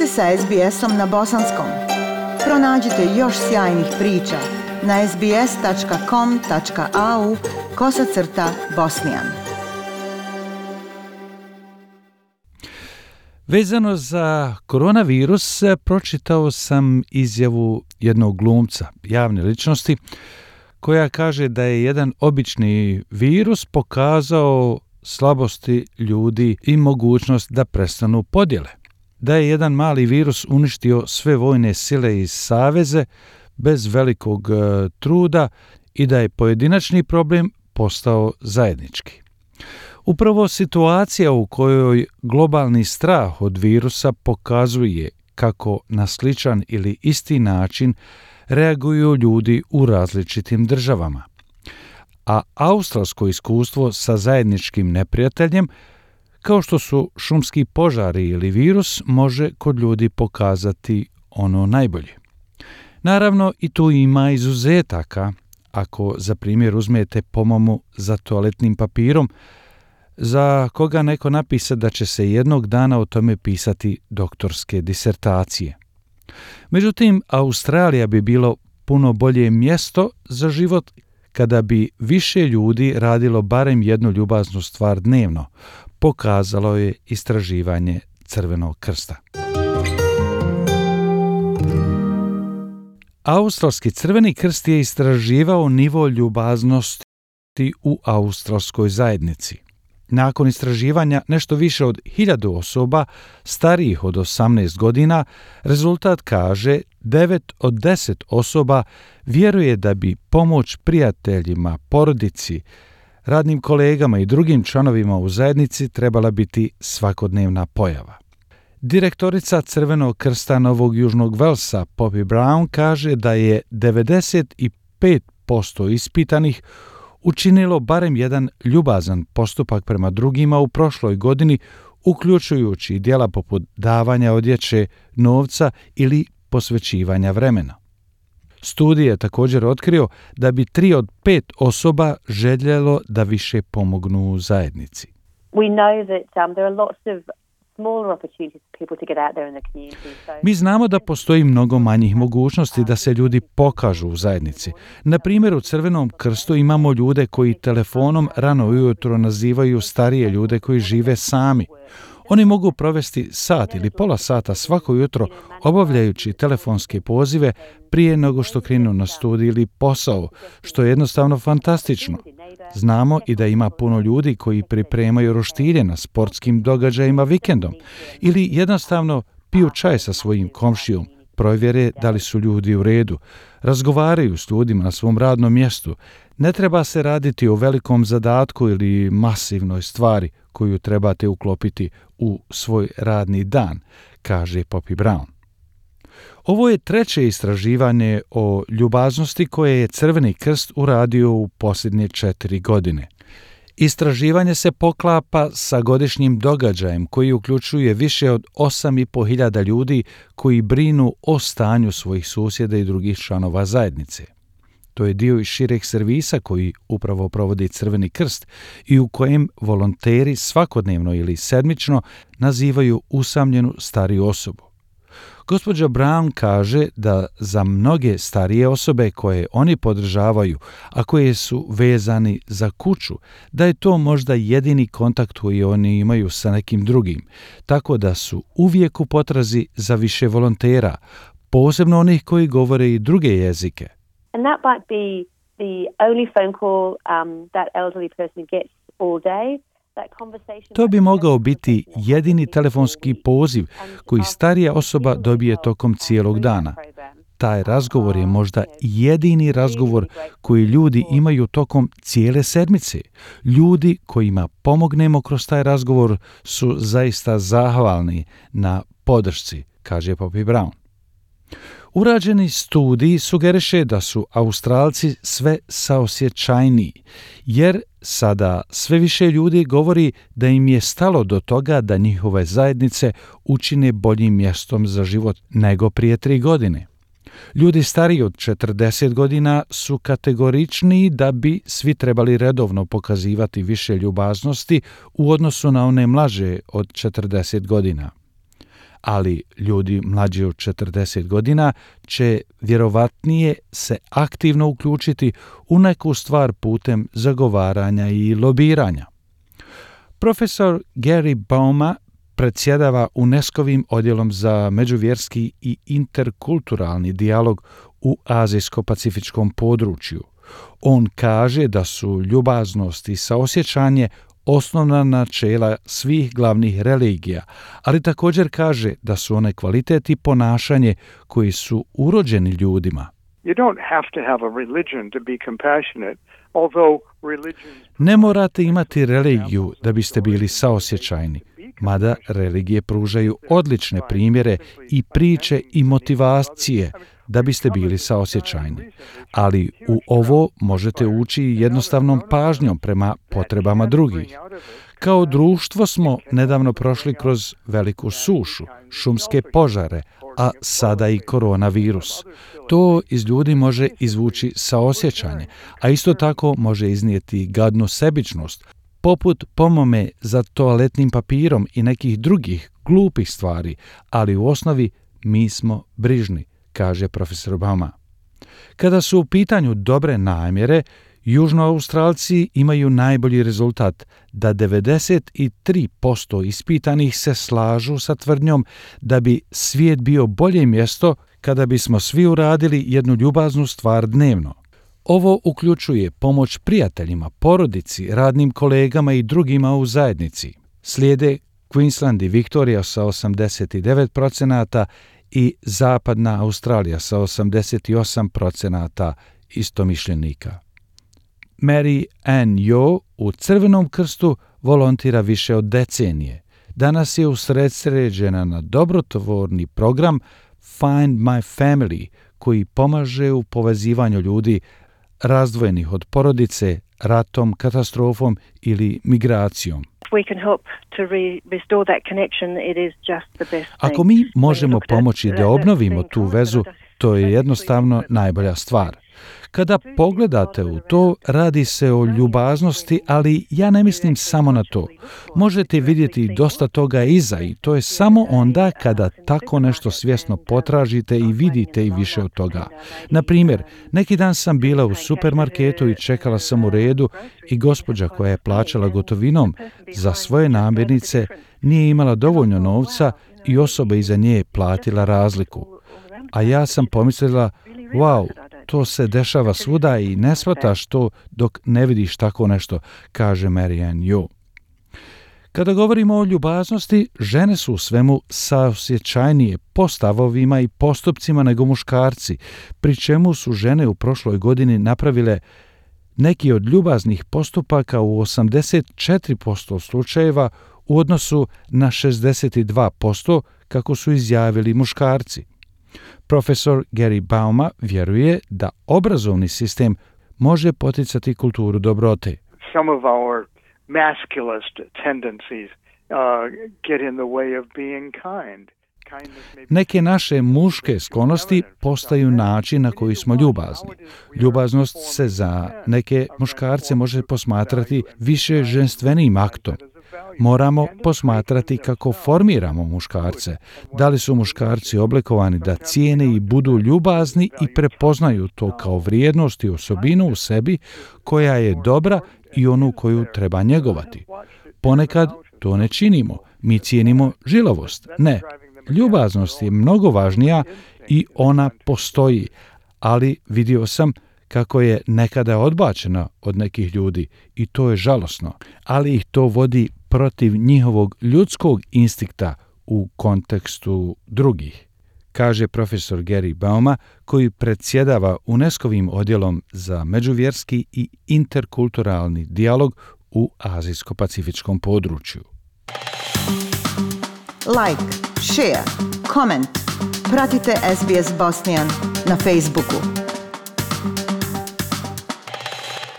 ste sa SBS-om na bosanskom. Pronađite još sjajnih priča na sbs.com.au/bosnijan. Vezano za koronavirus, pročitao sam izjavu jednog glumca, javne ličnosti, koja kaže da je jedan obični virus pokazao slabosti ljudi i mogućnost da prestanu podjele. Da je jedan mali virus uništio sve vojne sile i saveze bez velikog truda i da je pojedinačni problem postao zajednički. Upravo situacija u kojoj globalni strah od virusa pokazuje kako na sličan ili isti način reaguju ljudi u različitim državama. A australsko iskustvo sa zajedničkim neprijateljem, kao što su šumski požari ili virus, može kod ljudi pokazati ono najbolje. Naravno, i tu ima izuzetaka. Ako za primjer uzmete pomamu za toaletnim papirom, za koga neko napisa da će se jednog dana o tome pisati doktorske disertacije. Međutim, Australija bi bilo puno bolje mjesto za život kada bi više ljudi radilo barem jednu ljubaznu stvar dnevno, pokazalo je istraživanje Crvenog krsta. Australski Crveni krst je istraživao nivo ljubaznosti u australskoj zajednici. Nakon istraživanja nešto više od 1000 osoba starijih od 18 godina, rezultat kaže 9 od 10 osoba vjeruje da bi pomoć prijateljima, porodici, radnim kolegama i drugim članovima u zajednici trebala biti svakodnevna pojava. Direktorica Crvenog krsta Novog Južnog Velsa, Poppy Brown, kaže da je 95% ispitanih učinilo barem jedan ljubazan postupak prema drugima u prošloj godini, uključujući djela poput davanja odjeće, novca ili posvećivanja vremena. Studij je također otkrio da bi 3 od 5 osoba željelo da više pomognu u zajednici. We know that there are lots of smaller opportunities for people to get out there in the community. Mi znamo da postoji mnogo manjih mogućnosti da se ljudi pokažu u zajednici. Na primjer, u Crvenom krstu imamo ljude koji telefonom rano ujutro nazivaju starije ljude koji žive sami. Oni mogu provesti sat ili pola sata svako jutro obavljajući telefonske pozive prije nego što krenu na studij ili posao, što je jednostavno fantastično. Znamo i da ima puno ljudi koji pripremaju roštilje na sportskim događajima vikendom ili jednostavno piju čaj sa svojim komšijom, provjere da li su ljudi u redu, razgovaraju s ljudima na svom radnom mjestu. Ne treba se raditi o velikom zadatku ili masivnoj stvari koju trebate uklopiti u svoj radni dan, kaže Poppy Brown. Ovo je treće istraživanje o ljubaznosti koje je Crveni krst uradio u posljednje 4 godine. Istraživanje se poklapa sa godišnjim događajem koji uključuje više od 8.500 ljudi koji brinu o stanju svojih susjeda i drugih članova zajednice. To je dio iz šireg servisa koji upravo provodi Crveni krst i u kojem volonteri svakodnevno ili sedmično nazivaju usamljenu stariju osobu. Gospođa Brown kaže da za mnoge starije osobe koje oni podržavaju, a koje su vezani za kuću, da je to možda jedini kontakt koji oni imaju sa nekim drugim, tako da su uvijek u potrazi za više volontera, posebno onih koji govore i druge jezike. And that might be the only phone call that elderly person gets all day. To bi mogao biti jedini telefonski poziv koji starija osoba dobije tokom cijelog dana. Taj razgovor je možda jedini razgovor koji ljudi imaju tokom cijele sedmice. Ljudi kojima pomognemo kroz taj razgovor su zaista zahvalni na podršci, kaže Poppy Brown. Urađeni studij sugeriše da su Australci sve saosjećajniji, jer sada sve više ljudi govori da im je stalo do toga da njihove zajednice učine boljim mjestom za život nego prije 3 godine. Ljudi stariji od 40 godina su kategoričniji da bi svi trebali redovno pokazivati više ljubaznosti u odnosu na one mlađe od 40 godina. ali ljudi mlađi od 40 godina će vjerovatnije se aktivno uključiti u neku stvar putem zagovaranja i lobiranja. Profesor Gary Bauma predsjedava UNESCO-vim odjelom za međuvjerski i interkulturalni dijalog u azijsko-pacifičkom području. On kaže da su ljubaznost i saosjećanje osnovna načela svih glavnih religija, ali također kaže da su one kvalitet i ponašanje koji su urođeni ljudima. Ne morate imati religiju da biste bili saosjećajni, mada religije pružaju odlične primjere i priče i motivacije da biste bili saosjećajni. Ali u ovo možete ući jednostavnom pažnjom prema potrebama drugih. Kao društvo smo nedavno prošli kroz veliku sušu, šumske požare, a sada i koronavirus. To iz ljudi može izvući saosjećanje, a isto tako može iznijeti gadnu sebičnost, poput pomome za toaletnim papirom i nekih drugih glupih stvari, ali u osnovi mi smo brižni, kaže profesor Bauma. Kada su u pitanju dobre namjere, Južnoaustralci imaju najbolji rezultat da 93% ispitanih se slažu sa tvrdnjom da bi svijet bio bolje mjesto kada bismo svi uradili jednu ljubaznu stvar dnevno. Ovo uključuje pomoć prijateljima, porodici, radnim kolegama i drugima u zajednici. Slijede Queensland i Victoria sa 89% i Zapadna Australija sa 88% istomišljenika. Mary Ann Yo u Crvenom krstu volontira više od decenije. Danas je usredsređena na dobrotvorni program Find My Family, koji pomaže u povezivanju ljudi razdvojenih od porodice, ratom, katastrofom ili migracijom. Ako mi možemo pomoći da obnovimo tu vezu, to je jednostavno najbolja stvar. Kada pogledate u to, radi se o ljubaznosti, ali ja ne mislim samo na to. Možete vidjeti dosta toga iza i to je samo onda kada tako nešto svjesno potražite i vidite i više od toga. Na primjer, neki dan sam bila u supermarketu i čekala sam u redu i gospođa koja je plaćala gotovinom za svoje namirnice nije imala dovoljno novca i osoba iza nje je platila razliku. A ja sam pomislila, wow, to se dešava svuda i ne shvataš to dok ne vidiš tako nešto, kaže Mary Ann Yo. Kada govorimo o ljubaznosti, žene su u svemu saosjećajnije po stavovima i postupcima nego muškarci, pri čemu su žene u prošloj godini napravile neki od ljubaznih postupaka u 84% slučajeva u odnosu na 62% kako su izjavili muškarci. Profesor Gary Bauma vjeruje da obrazovni sistem može poticati kulturu dobrote. Some of our masculist tendencies get in the way of being kind. Neke naše muške sklonosti postaju način na koji smo ljubazni. Ljubaznost se za neke muškarce može posmatrati više ženstvenim aktom. Moramo posmatrati kako formiramo muškarce. Da li su muškarci oblikovani da cijene i budu ljubazni i prepoznaju to kao vrijednost i osobinu u sebi koja je dobra i onu koju treba njegovati. Ponekad to ne činimo. Mi cijenimo žilavost. Ne. Ljubaznost je mnogo važnija i ona postoji, ali vidio sam kako je nekada odbačena od nekih ljudi i to je žalosno, ali ih to vodi protiv njihovog ljudskog instinkta u kontekstu drugih, kaže profesor Gary Bauma, koji predsjedava UNESCO-vim odjelom za međuvjerski i interkulturalni dijalog u azijsko-pacifičkom području. Like, share, comment. Pratite SBS Bosnian na Facebooku.